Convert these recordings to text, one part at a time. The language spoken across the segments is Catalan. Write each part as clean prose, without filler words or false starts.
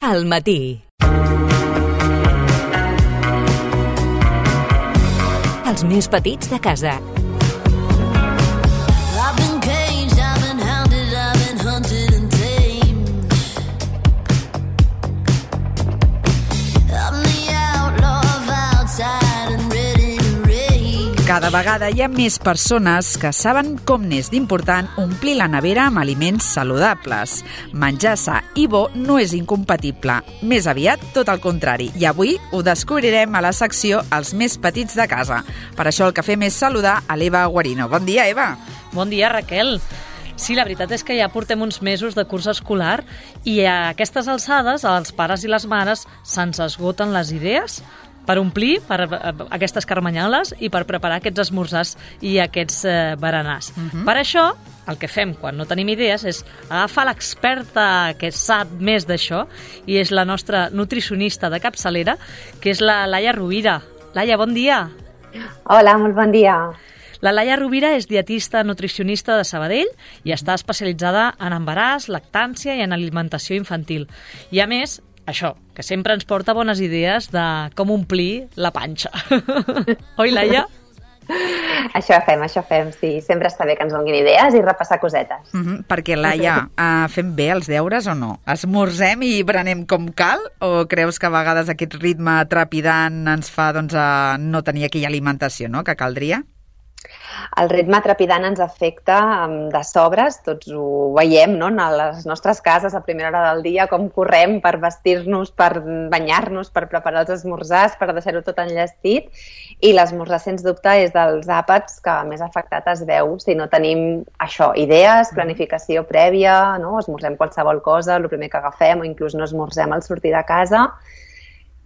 al matí. Els més petits de casa. Cada vegada hi ha més persones que saben com n'és d'important omplir la nevera amb aliments saludables. Menjar sa i bo no és incompatible, més aviat tot el contrari. I avui ho descobrirem a la secció Els més petits de casa. Per això el que fem és saludar a l'Eva Guarino. Bon dia, Eva. Bon dia, Raquel. Sí, la veritat és que ja portem uns mesos de curs escolar i a aquestes alçades als pares i les mares se'ns esgoten les idees per omplir per aquestes carmanyoles i per preparar aquests esmorzars i aquests berenars. Per això, el que fem quan no tenim idees és agafar l'experta que sap més d'això i és la nostra nutricionista de capçalera, que és la Laia Rovira. Laia, bon dia. Hola, molt bon dia. La Laia Rovira és dietista nutricionista de Sabadell i està especialitzada en embaràs, lactància i en alimentació infantil. I a més, això, que sempre ens porta bones idees de com omplir la panxa. Oi, Laia? Això fem, sí. Sempre està bé que ens donguin idees i repassar cosetes. Perquè, Laia, fem bé els deures o no? Esmorzem i berenem com cal? O creus que a vegades aquest ritme trepidant ens fa no tenir aquella alimentació, no?, que caldria? El ritme trepidant ens afecta de sobres, tots ho veiem, no?, a les nostres cases a primera hora del dia, com correm per vestir-nos, per banyar-nos, per preparar els esmorzars, per deixar-ho tot enllestit, i l'esmorzar, sens dubte, és dels àpats que més afectat es veu si no tenim això, idees, planificació prèvia, no?, esmorzem qualsevol cosa, el primer que agafem, o inclús no esmorzem al sortir de casa.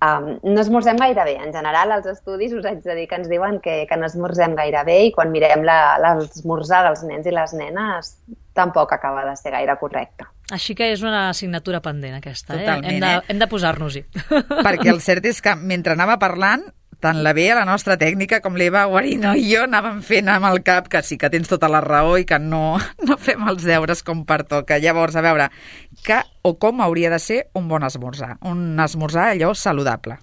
No esmorzem gaire bé. En general, als estudis us haig de dir que ens diuen que no esmorzem gaire bé i quan mirem l'esmorzar dels nens i les nenes tampoc acaba de ser gaire correcte. Així que és una assignatura pendent aquesta. Totalment, Hem de posar-nos-hi. Perquè el cert és que mentre anava parlant, tant la Bea, la nostra tècnica, com l'Eva Guarino i jo anàvem fent amb el cap que sí que tens tota la raó i que no fem els deures com pertoca. Llavors, a veure, què o com hauria de ser un bon esmorzar? Un esmorzar allò saludable.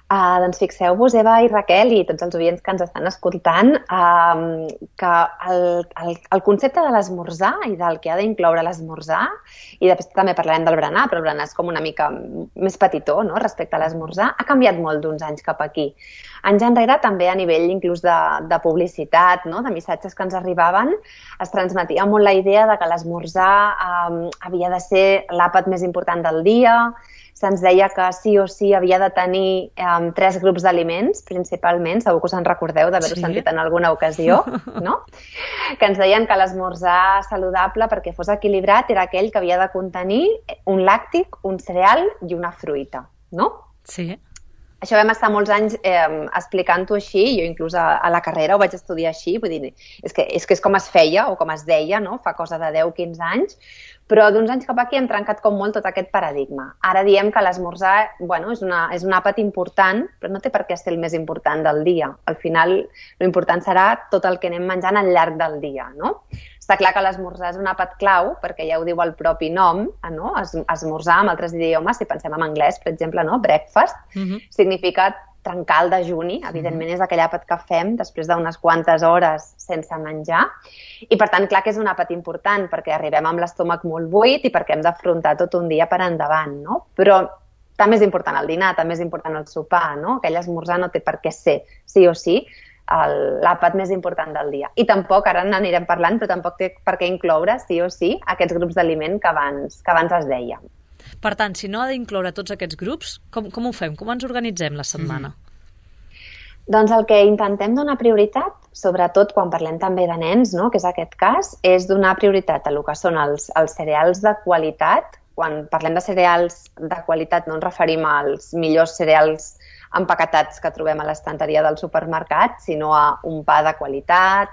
Doncs fixeu-vos, Eva i Raquel, i tots els oients que ens estan escoltant, que el concepte de l'esmorzar i del que ha d'incloure l'esmorzar, i després també parlarem del berenar, però el berenar és com una mica més petitó, no?, respecte a l'esmorzar, ha canviat molt d'uns anys cap aquí. Anys enrere també a nivell inclús de publicitat, no?, de missatges que ens arribaven, es transmetia molt la idea de que l'esmorzar havia de ser l'àpat més important del dia. Se'ns deia que sí o sí havia de tenir 3 grups d'aliments, principalment, segur que us en recordeu d'haver-ho sentit en alguna ocasió, no? Que ens deien que l'esmorzar saludable, perquè fos equilibrat, era aquell que havia de contenir un làctic, un cereal i una fruita, no? Sí. Això vam estar molts anys explicant-ho així, jo inclús a la carrera ho vaig estudiar així, vull dir, és que és com es feia o com es deia, no?, fa cosa de 10-15 anys, però d'uns anys cap aquí hem trencat com molt tot aquest paradigma. Ara diem que l'esmorzar, bueno, és un àpat important, però no té per què ser el més important del dia. Al final, l'important serà tot el que anem menjant al llarg del dia, no? Està clar que l'esmorzar és un àpat clau, perquè ja ho diu el propi nom, no? Esmorzar, en altres idiomes, si pensem en anglès, per exemple, no? Breakfast, significa trencar el dejuni, evidentment és aquell àpat que fem després d'unes quantes hores sense menjar, i per tant, clar que és un àpat important, perquè arribem amb l'estómac molt buit i perquè hem d'afrontar tot un dia per endavant, no? Però també és important el dinar, també és important el sopar, no? Aquell esmorzar no té per què ser, sí o sí, l'àpat més important del dia. I tampoc, ara n'anirem parlant, però tampoc té per què incloure, sí o sí, aquests grups d'aliment que abans es deia. Per tant, si no ha d'incloure tots aquests grups, com ho fem? Com ens organitzem la setmana? Doncs el que intentem donar prioritat, sobretot quan parlem també de nens, no?, que és aquest cas, és donar prioritat a el que són els cereals de qualitat. Quan parlem de cereals de qualitat no ens referim als millors cereals empaquetats que trobem a l'estanteria del supermercat, sinó a un pa de qualitat,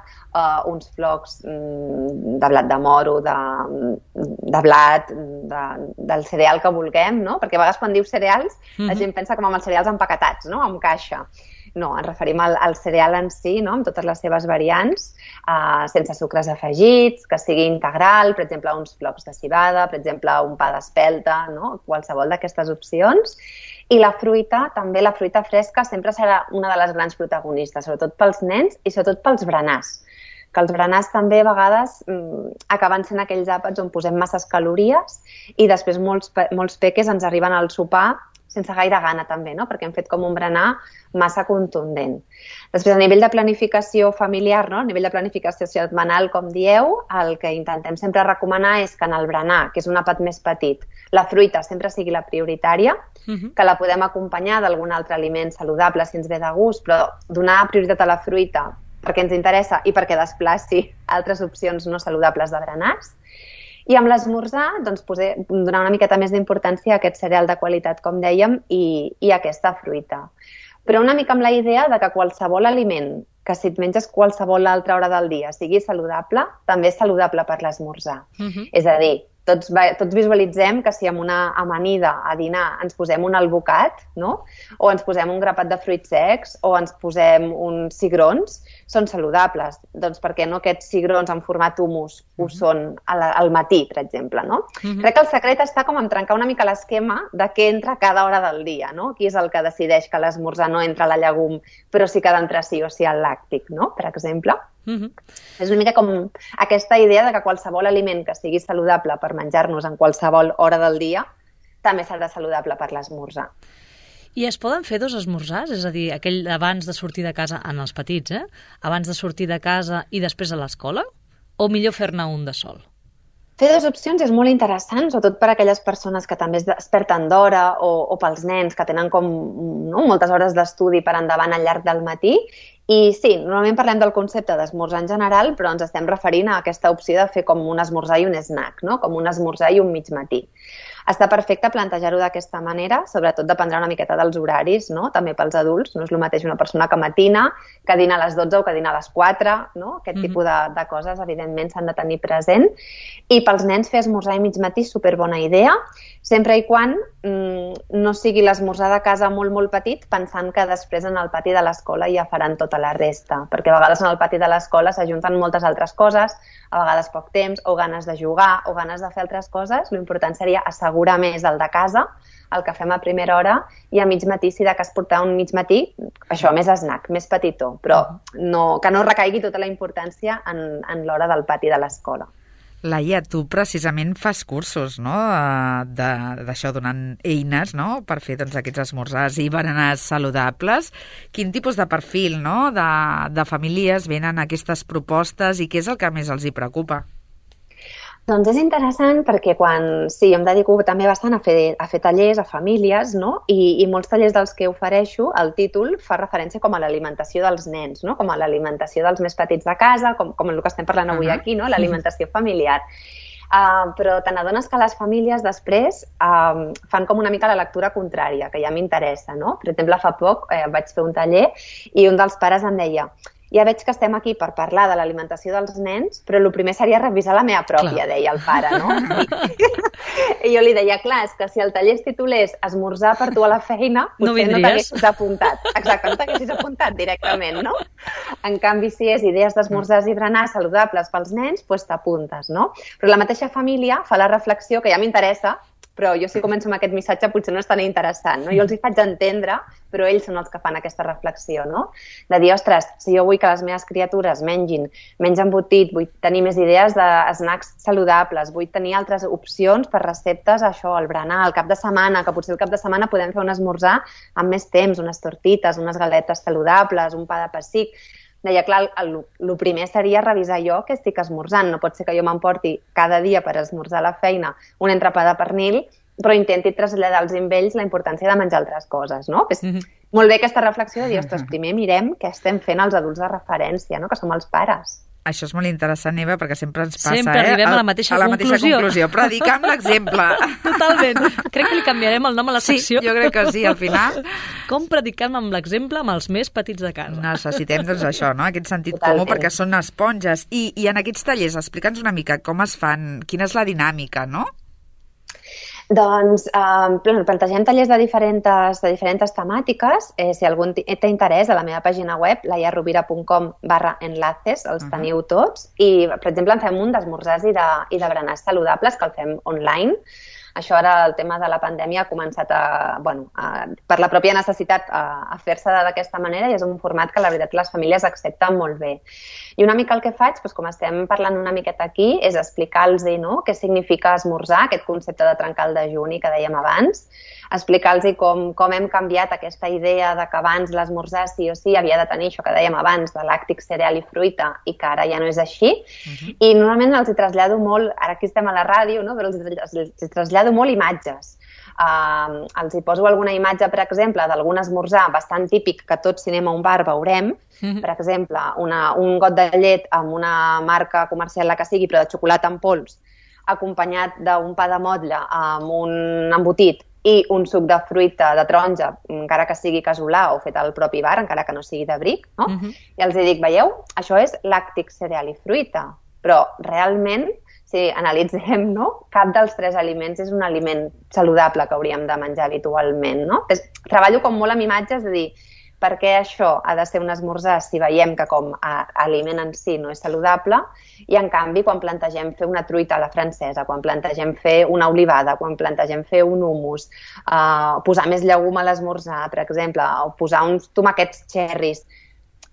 uns flocs de blat de moro, de blat, del cereal que vulguem, no? Perquè a vegades quan dius cereals la gent pensa com amb els cereals empaquetats, no?, amb caixa. No, ens referim al cereal en si, no? Amb totes les seves variants, sense sucres afegits, que sigui integral, per exemple, uns flocs de civada, per exemple, un pa d'espelta, no? Qualsevol d'aquestes opcions. I la fruita, també la fruita fresca, sempre serà una de les grans protagonistes, sobretot pels nens i sobretot pels berenars. Que els berenars també a vegades acaben sent aquells àpats on posem masses calories i després molts peques ens arriben al sopar sense gaire gana també, no? Perquè hem fet com un berenar massa contundent. Després, a nivell de planificació familiar, no? A nivell de planificació setmanal, com dieu, el que intentem sempre recomanar és que en el berenar, que és un àpat més petit, la fruita sempre sigui la prioritària, que la podem acompanyar d'algun altre aliment saludable si ens ve de gust, però donar prioritat a la fruita perquè ens interessa i perquè desplaci altres opcions no saludables de berenars. I amb l'esmorzar, doncs, donar una miqueta més d'importància a aquest cereal de qualitat, com dèiem, i aquesta fruita. Però una mica amb la idea de que qualsevol aliment que si et menges qualsevol altra hora del dia sigui saludable, també és saludable per l'esmorzar. És a dir, tots visualitzem que si amb una amanida a dinar ens posem un albocat, no? O ens posem un grapat de fruits secs, o ens posem uns cigrons, són saludables. Doncs per què no aquests cigrons en format hummus ho són al matí, per exemple, no? Crec que el secret està com en trencar una mica l'esquema de què entra cada hora del dia, no? Qui és el que decideix que l'esmorzar no entra a la llegum, però sí que ha d'entrar sí o sí al làctic, no? Per exemple. És una mica com aquesta idea de que qualsevol aliment que sigui saludable per menjar-nos en qualsevol hora del dia també serà saludable per l'esmorzar. I es poden fer dos esmorzars? És a dir, aquell abans de sortir de casa, en els petits, abans de sortir de casa i després a l'escola? O millor fer-ne un de sol? Fer dues opcions és molt interessant, sobretot per a aquelles persones que també es desperten d'hora o pels nens que tenen com moltes hores d'estudi per endavant al llarg del matí. I sí, normalment parlem del concepte d'esmorzar en general, però ens estem referint a aquesta opció de fer com un esmorzar i un snack, no? Com un esmorzar i un mig matí. Està perfecte plantejar-ho d'aquesta manera, sobretot dependrà una miqueta dels horaris, no? També pels adults, no és el mateix una persona que matina, que dina a les 12 o que dina a les 4, no? Aquest tipus de coses, evidentment, s'han de tenir present. I pels nens fer esmorzar i mig matí, superbona idea, sempre i quan no sigui l'esmorzar de casa molt petit, pensant que després en el pati de l'escola ja faran tota la resta, perquè a vegades en el pati de l'escola s'ajunten moltes altres coses, a vegades poc temps, o ganes de jugar, o ganes de fer altres coses. L'important seria assegurar més el de casa, el que fem a primera hora, i a mig matí, si de cas portar un mig matí, això, més snack, més petitó, però que no recaigui tota la importància en l'hora del pati de l'escola. Laia, tu precisament fas cursos, no?, d'això, donant eines, no?, per fer aquests esmorzars i berenars saludables. Quin tipus de perfil, no?, de famílies venen aquestes propostes i què és el que més els hi preocupa? Doncs és interessant perquè jo em dedico també bastant a fer tallers a famílies, no? I molts tallers dels que ofereixo, el títol fa referència com a l'alimentació dels nens, no? Com a l'alimentació dels més petits de casa, com el que estem parlant avui aquí, no? L'alimentació familiar. Però te n'adones que les famílies després fan com una mica la lectura contrària, que ja m'interessa, no? Per exemple, fa poc vaig fer un taller i un dels pares em deia: ja veig que estem aquí per parlar de l'alimentació dels nens, però el primer seria revisar la meva pròpia, deia el pare, no? I jo li deia, clar, és que si el taller es titulés esmorzar per tu a la feina, potser no t'haguessis apuntat. Exacte, no t'haguessis apuntat directament, no? En canvi, si és idees d'esmorzars i berenars saludables pels nens, doncs t'apuntes, no? Però la mateixa família fa la reflexió, que ja m'interessa, però jo si començo amb aquest missatge potser no és tan interessant, no? Jo els hi faig entendre, però ells són els que fan aquesta reflexió, no? De dir, ostres, si jo vull que les meves criatures mengin menys embotit, vull tenir més idees de snacks saludables, vull tenir altres opcions per receptes, això, el berenar, el cap de setmana, que potser el cap de setmana podem fer un esmorzar amb més temps, unes tortites, unes galetes saludables, un pa de pessic. Deia, clar, el primer seria revisar jo què estic esmorzant. No pot ser que jo m'emporti cada dia per esmorzar a la feina un entrepà de pernil, però intenti traslladar als ells la importància de menjar altres coses, no? És molt bé aquesta reflexió de dir, ostres, primer mirem què estem fent els adults de referència, no? Que som els pares. Això és molt interessant, Eva, perquè sempre ens passa, sempre arribem a la mateixa conclusió. Predicar amb l'exemple. Totalment. Crec que li canviarem el nom a la secció. Sí, jo crec que sí, al final. Com predicar amb l'exemple amb els més petits de casa. Necessitem, doncs, això, no? Aquest sentit comú, perquè són esponges. I en aquests tallers, explica'ns una mica com es fan, quina és la dinàmica, no? Doncs plantegem tallers de diferents temàtiques. Si algú té interès, a la meva pàgina web, laiarrovira.com/enlaces, els teniu tots. I, per exemple, en fem un d'esmorzars i de berenars saludables, que el fem online. Això ara, el tema de la pandèmia, ha començat per la pròpia necessitat a fer-se d'aquesta manera, i és un format que la veritat les famílies accepten molt bé. I una mica el que faig, com estem parlant una miqueta aquí, és explicar-los què significa esmorzar, aquest concepte de trencar el dejuni que dèiem abans, explicar-los com hem canviat aquesta idea de que abans l'esmorzar sí o sí havia de tenir això que dèiem abans, de làctic, cereal i fruita, i que ara ja no és així. I normalment els hi trasllado molt, ara aquí estem a la ràdio, no? Però els hi trasllado molt imatges. Els hi poso alguna imatge, per exemple, d'algun esmorzar bastant típic que tots si anem a un bar veurem, per exemple, un got de llet amb una marca comercial, la que sigui, però de xocolata en pols, acompanyat d'un pa de motlle amb un embotit i un suc de fruita, de taronja, encara que sigui casolà o fet al propi bar, encara que no sigui de bric, no? I els dic, veieu, això és làctic, cereal i fruita, però realment, si analitzem, cap dels tres aliments és un aliment saludable que hauríem de menjar habitualment, no? Treballo com molt amb imatges de dir per què això ha de ser un esmorzar si veiem que com a aliment en si no és saludable, i en canvi quan plantegem fer una truita a la francesa, quan plantegem fer una olivada, quan plantegem fer un hummus, posar més llegum a l'esmorzar, per exemple, o posar uns tomaquets cherries,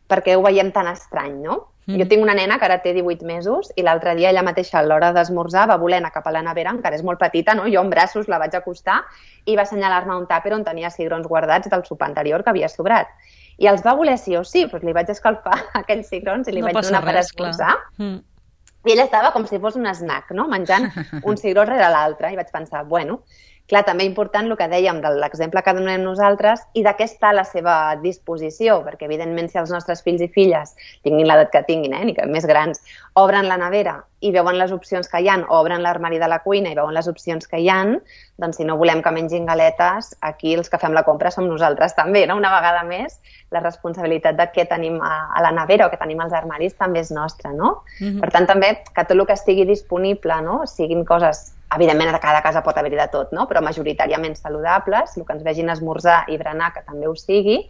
perquè ho veiem tan estrany, no? Jo tinc una nena que ara té 18 mesos i l'altre dia ella mateixa a l'hora d'esmorzar va voler anar cap a la nevera, encara és molt petita, no? Jo en braços la vaig acostar i va assenyalar-me un tàper on tenia cigrons guardats del sopar anterior que havia sobrat. I els va voler sí o sí, doncs li vaig escalfar aquells cigrons i li vaig donar per esmorzar. I ella estava com si fos un snack, no? Menjant un cigró rere l'altre, i vaig pensar, bueno, clar, també important el que dèiem de l'exemple que donem nosaltres i de què està a la seva disposició, perquè evidentment si els nostres fills i filles, tinguin l'edat que tinguin, ni que més grans, obren la nevera i veuen les opcions que hi ha, o obren l'armari de la cuina i veuen les opcions que hi ha, doncs si no volem que mengin galetes, aquí els que fem la compra som nosaltres també, no? Una vegada més, la responsabilitat de què tenim a la nevera o què tenim als armaris també és nostra, no? Per tant, també que tot el que estigui disponible, no? Siguin coses, evidentment a cada casa pot haver-hi de tot, no? Però majoritàriament saludables, el que ens vegin esmorzar i berenar que també ho sigui,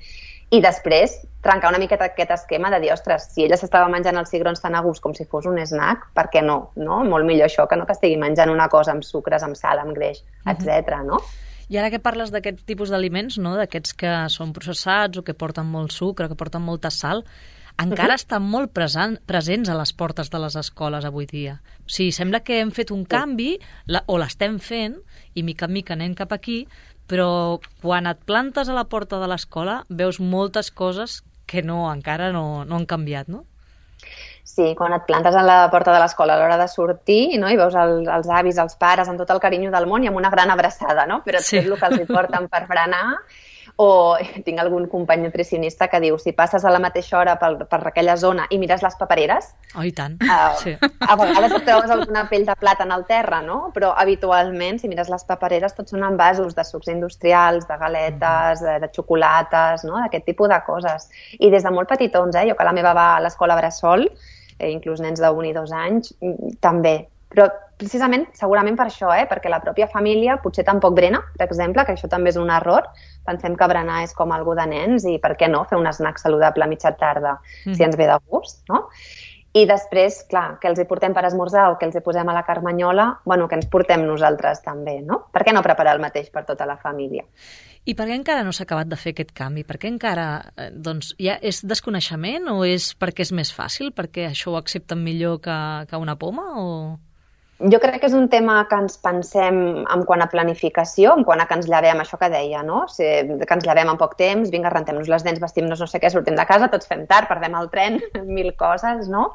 i després trencar una miqueta aquest esquema de dir, ostres, si ella s'estava menjant els cigrons tan a gust com si fos un snack, per què no? Molt millor això que no que estigui menjant una cosa amb sucres, amb sal, amb greix, etc. no? I ara que parles d'aquest tipus d'aliments, no? D'aquests que són processats o que porten molt sucre, que porten molta sal, encara estan molt presents a les portes de les escoles avui dia. O sigui, sembla que hem fet un canvi, o l'estem fent, i mica en mica anem cap aquí, però quan et plantes a la porta de l'escola veus moltes coses que encara no han canviat, no? Sí, quan et plantes a la porta de l'escola a l'hora de sortir, no? I veus els avis, els pares, amb tot el carinyo del món i amb una gran abraçada, no? Però tot el que els hi porten per berenar. O tinc algun company nutricionista que diu, si passes a la mateixa hora per aquella zona i mires les papereres, oh, i tant. Sí. A vegades et trobes alguna pell de plàtan al terra, no? Però habitualment, si mires les papereres, tots són envasos de sucs industrials, de galetes, de xocolates, no? D'aquest tipus de coses. I des de molt petitons, jo que la meva va a l'escola bressol, inclús nens de 1 i 2 anys, també. Però precisament, segurament per això, perquè la pròpia família potser tampoc brena, per exemple, que això també és un error. Pensem que berenar és com algo de nens i per què no fer un snack saludable a mitja tarda si ens ve de gust, no? I després, clar, que els hi portem per esmorzar o que els hi posem a la carmanyola, bueno, que ens portem nosaltres també, no? Per què no preparar el mateix per tota la família? I per què encara no s'ha acabat de fer aquest canvi? Per què encara, ja és desconeixement o és perquè és més fàcil? Perquè això ho accepten millor que una poma o...? Jo crec que és un tema que ens pensem en quant a planificació, en quant a que ens llevem, això que deia, no? Que ens llevem en poc temps, vinga, rentem-nos les dents, vestim-nos no sé què, sortim de casa, tots fem tard, perdem el tren, 1000 coses, no?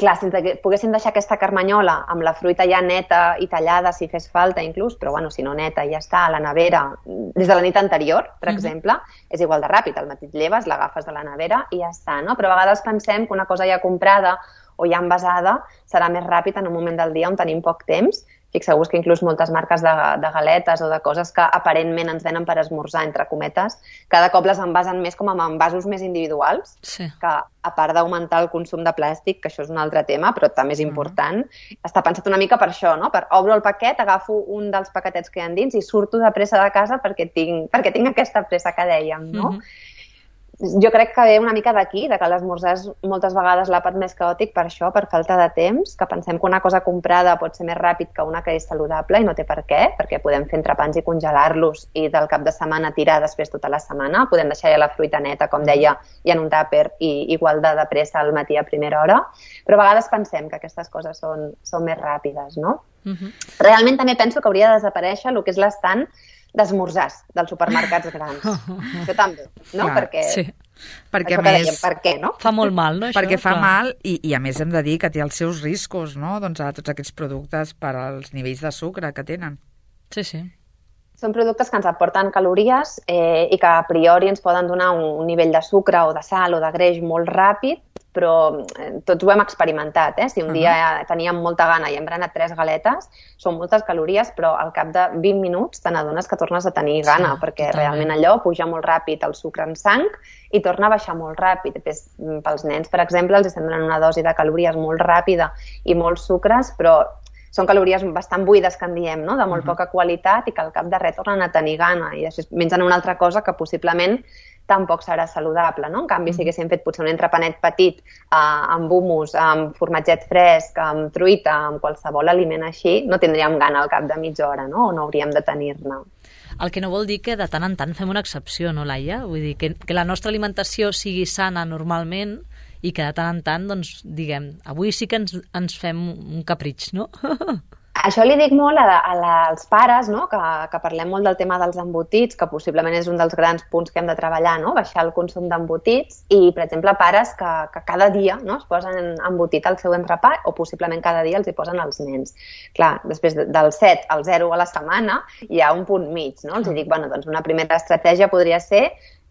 Clar, si poguéssim deixar aquesta carmanyola amb la fruita ja neta i tallada, si fes falta inclús, però bueno, si no neta, ja està, a la nevera, des de la nit anterior, per exemple, és igual de ràpid, al matí et lleves, l'agafes de la nevera i ja està, no? Però a vegades pensem que una cosa ja comprada o ja envasada serà més ràpid en un moment del dia on tenim poc temps, Fixeu-vos que inclús moltes marques de galetes o de coses que aparentment ens venen per esmorzar, entre cometes, cada cop les envasen més com amb envasos més individuals, que a part d'augmentar el consum de plàstic, que això és un altre tema, però també és important, està pensat una mica per això, no? Per obro el paquet, agafo un dels paquetets que hi ha dins i surto de pressa de casa perquè tinc aquesta pressa que dèiem, no? Jo crec que ve una mica d'aquí, de que l'esmorzar és moltes vegades l'àpat més caòtic per això, per falta de temps, que pensem que una cosa comprada pot ser més ràpid que una que és saludable i no té per què, perquè podem fer entrepans i congelar-los i del cap de setmana tirar després tota la setmana, podem deixar ja la fruita neta, com deia, i en un tàper i igual de pressa al matí a primera hora, però a vegades pensem que aquestes coses són més ràpides, no? Realment també penso que hauria de desaparèixer el que és l'estant d'esmorzars dels supermercats grans. Això també, no? Clar, perquè a més, per què, no? Fa molt mal, no? Perquè fa mal i a més hem de dir que té els seus riscos, no? Doncs a tots aquests productes per als nivells de sucre que tenen. Sí. Són productes que ens aporten calories i que a priori ens poden donar un nivell de sucre o de sal o de greix molt ràpid, però tots ho hem experimentat, Si un dia teníem molta gana i hem berenat 3 galetes, són moltes calories, però al cap de 20 minuts te n'adones que tornes a tenir gana, perquè realment allò puja molt ràpid el sucre en sang i torna a baixar molt ràpid. Pels nens, per exemple, els estem donant una dosi de calories molt ràpida i molts sucres, però són calories bastant buides, que en diem, no? De molt poca qualitat i que al cap de res tornen a tenir gana i després mengen una altra cosa que possiblement tampoc serà saludable, no? En canvi, si haguéssim fet potser un entrepanet petit amb hummus, amb formatget fresc, amb truita, amb qualsevol aliment així, no tindríem gana al cap de mitja hora, no? O no hauríem de tenir-ne. El que no vol dir que de tant en tant fem una excepció, no, Laia? Vull dir, que la nostra alimentació sigui sana normalment i que de tant en tant, doncs, diguem, avui sí que ens fem un capritx, no? Això li dic molt als pares, no? Que parlem molt del tema dels embotits, que possiblement és un dels grans punts que hem de treballar, no? Baixar el consum d'embotits i, per exemple, pares que cada dia, no? Es posen embotit al seu entrepà o possiblement cada dia els hi posen als nens. Clar, després del 7 al 0 a la setmana hi ha un punt mig, no? Els dic, doncs una primera estratègia podria ser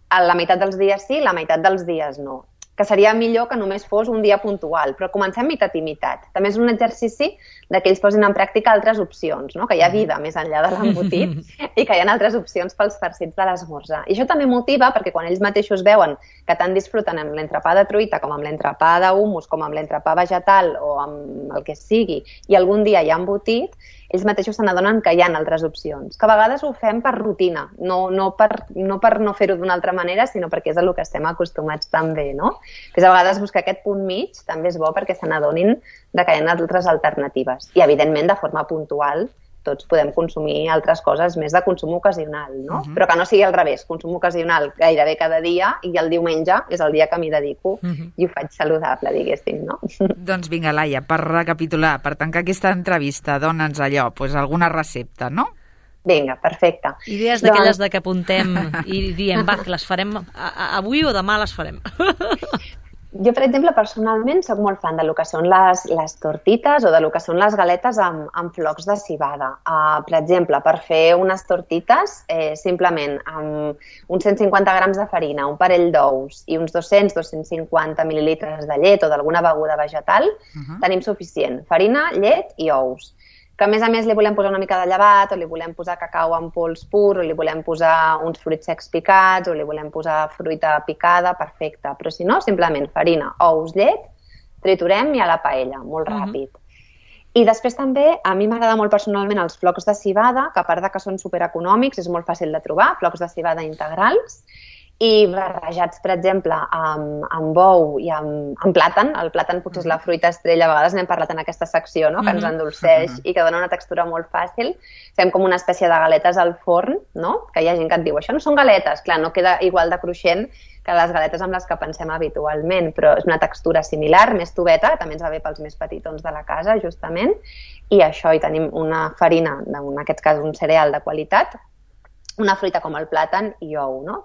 la meitat dels dies sí, la meitat dels dies no. Que seria millor que només fos un dia puntual, però comencem meitat i meitat. També és un exercici que ells posin en pràctica altres opcions, no? Que hi ha vida més enllà de l'embotit i que hi ha altres opcions pels farcits de l'esmorzar. I això també motiva perquè quan ells mateixos veuen que tant disfruten amb l'entrepà de truita com amb l'entrepà d'hummus, com amb l'entrepà vegetal o amb el que sigui, i algun dia hi ha embotit, ells mateixos se n'adonen que hi ha altres opcions. Que a vegades ho fem per rutina, no per no fer-ho d'una altra manera, sinó perquè és a lo que estem acostumats també, no? Que a vegades buscar aquest punt mig també és bo perquè se n'adonin que hi ha altres alternatives. I, evidentment, de forma puntual, tots podem consumir altres coses més de consum ocasional, no? Però que no sigui al revés, consum ocasional gairebé cada dia i el diumenge és el dia que m'hi dedico i ho faig saludable, diguéssim, no? Doncs vinga, Laia, per recapitular, per tancar aquesta entrevista, dona'ns allò, alguna recepta, no? Vinga, perfecte. Idees d'aquelles de que apuntem i diem, va, que les farem avui o demà les farem. Jo, per exemple, personalment soc molt fan de lo que són les tortites o de lo que són les galetes amb flocs de civada. Per exemple, per fer unes tortites, simplement amb uns 150 grams de farina, un parell d'ous i uns 200-250 mil·lilitres de llet o d'alguna beguda vegetal, tenim suficient. Farina, llet i ous. Que a més li volem posar una mica de llevat o li volem posar cacau en pols pur o li volem posar uns fruits secs picats o li volem posar fruita picada, perfecte. Però si no, simplement farina, ous, llet, triturem i a la paella, molt ràpid. I després també, a mi m'agrada molt personalment els flocs de civada, que a part de que són supereconòmics, és molt fàcil de trobar, flocs de civada integrals, i barrejats, per exemple, amb bou i amb plàtan. El plàtan potser és la fruita estrella, a vegades n'hem parlat en aquesta secció, no? Que ens endolceix i que dona una textura molt fàcil. Fem com una espècie de galetes al forn, no? Que hi ha gent que et diu, això no són galetes. Clar, no queda igual de cruixent que les galetes amb les que pensem habitualment, però és una textura similar, més tubeta, també ens va bé pels més petitons de la casa, justament, i això, hi tenim una farina, en aquest cas un cereal de qualitat, una fruita com el plàtan i ou, no?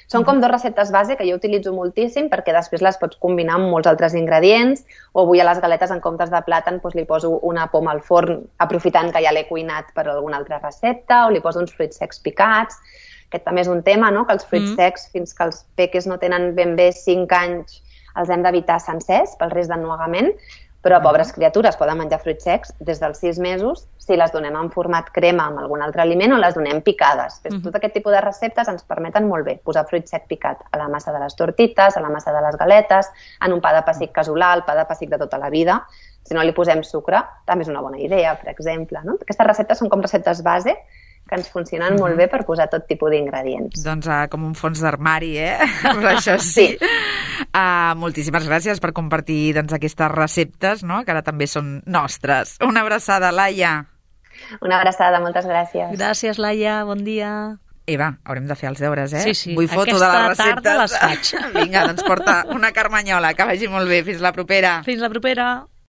Són com 2 receptes base que jo utilitzo moltíssim perquè després les pots combinar amb molts altres ingredients, o avui a les galetes en comptes de plàtan li poso una poma al forn aprofitant que ja l'he cuinat per alguna altra recepta, o li poso uns fruits secs picats. Aquest també és un tema, no? Que els fruits secs, fins que els peques no tenen ben bé 5 anys, els hem d'evitar sencers pel risc d'ennuegament, Però pobres criatures poden menjar fruits secs des dels 6 mesos si les donem en format crema amb algun altre aliment o les donem picades. Tot aquest tipus de receptes ens permeten molt bé posar fruit sec picat a la massa de les tortites, a la massa de les galetes, en un pa de pessic casolà, el pa de pessic de tota la vida. Si no li posem sucre, també és una bona idea, per exemple. No? Aquestes receptes són com receptes base que ens funcionen molt bé per posar tot tipus d'ingredients. Doncs com un fons d'armari, Però això sí. Moltíssimes gràcies per compartir aquestes receptes, no? Que ara també són nostres. Una abraçada, Laia. Una abraçada, moltes gràcies. Gràcies, Laia, bon dia. Eva, haurem de fer els deures, Sí. Vull foto de les receptes. Aquesta tarda les faig. Vinga, doncs porta una carmanyola, que vagi molt bé. Fins la propera. Fins la propera.